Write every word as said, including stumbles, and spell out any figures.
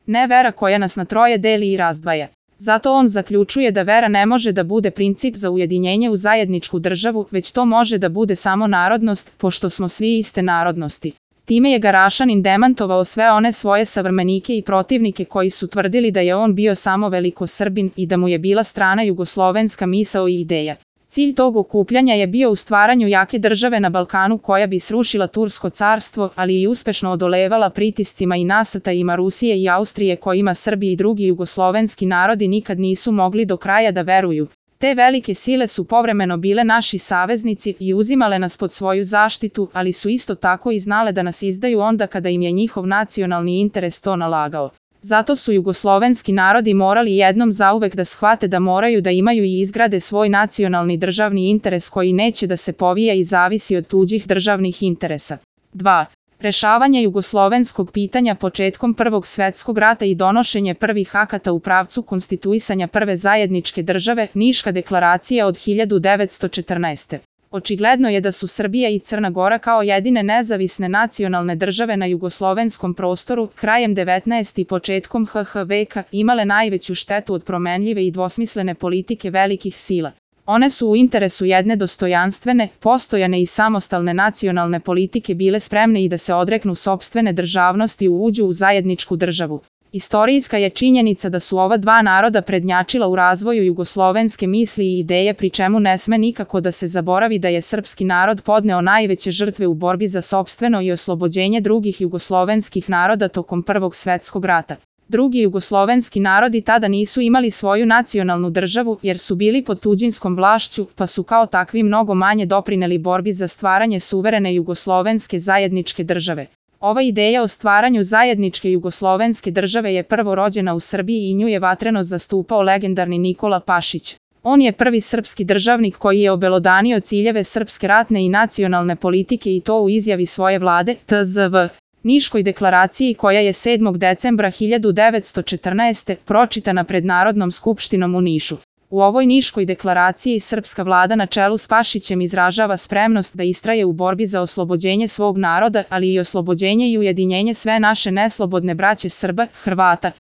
ne vera koja nas na troje deli i razdvaja. Zato on zaključuje da vera ne može da bude princip za ujedinjenje u zajedničku državu, već to može da bude samo narodnost, pošto smo svi iste narodnosti. Time je Garašanin demantovao sve one svoje savrmenike i protivnike koji su tvrdili da je on bio samo velikosrbin i da mu je bila strana jugoslovenska misao i ideja. Cilj tog okupljanja je bio u stvaranju jake države na Balkanu koja bi srušila Tursko carstvo, ali i uspešno odolevala pritiscima i nasrtajima Rusije i Austrije kojima Srbi i drugi jugoslovenski narodi nikad nisu mogli do kraja da veruju. Te velike sile su povremeno bile naši saveznici i uzimale nas pod svoju zaštitu, ali su isto tako i znale da nas izdaju onda kada im je njihov nacionalni interes to nalagao. Zato su jugoslovenski narodi morali jednom zauvek da shvate da moraju da imaju i izgrade svoj nacionalni državni interes koji neće da se povija i zavisi od tuđih državnih interesa. dva. Rešavanje jugoslovenskog pitanja početkom Prvog svetskog rata i donošenje prvih akata u pravcu konstituisanja prve zajedničke države, Niška deklaracija od hiljadu devetsto četrnaeste. Očigledno je da su Srbija i Crna Gora kao jedine nezavisne nacionalne države na jugoslovenskom prostoru krajem devetnaestog i početkom ha ha veka imale najveću štetu od promenljive i dvosmislene politike velikih sila. One su u interesu jedne dostojanstvene, postojane i samostalne nacionalne politike bile spremne i da se odreknu sopstvene državnosti i uđu u zajedničku državu. Istorijska je činjenica da su ova dva naroda prednjačila u razvoju jugoslovenske misli i ideje, pri čemu ne sme nikako da se zaboravi da je srpski narod podneo najveće žrtve u borbi za sopstveno i oslobođenje drugih jugoslovenskih naroda tokom Prvog svetskog rata. Drugi jugoslovenski narodi tada nisu imali svoju nacionalnu državu jer su bili pod tuđinskom vlašću, pa su kao takvi mnogo manje doprineli borbi za stvaranje suverene jugoslovenske zajedničke države. Ova ideja o stvaranju zajedničke jugoslovenske države je prvo rođena u Srbiji i nju je vatreno zastupao legendarni Nikola Pašić. On je prvi srpski državnik koji je obelodanio ciljeve srpske ratne i nacionalne politike i to u izjavi svoje vlade, te zet ve. Niškoj deklaraciji koja je sedmog decembra hiljadu devetsto četrnaeste. pročitana pred Narodnom skupštinom u Nišu. U ovoj Niškoj deklaraciji srpska vlada na čelu s Pašićem izražava spremnost da istraje u borbi za oslobođenje svog naroda, ali i oslobođenje i ujedinjenje sve naše neslobodne braće Srba, Hrvata,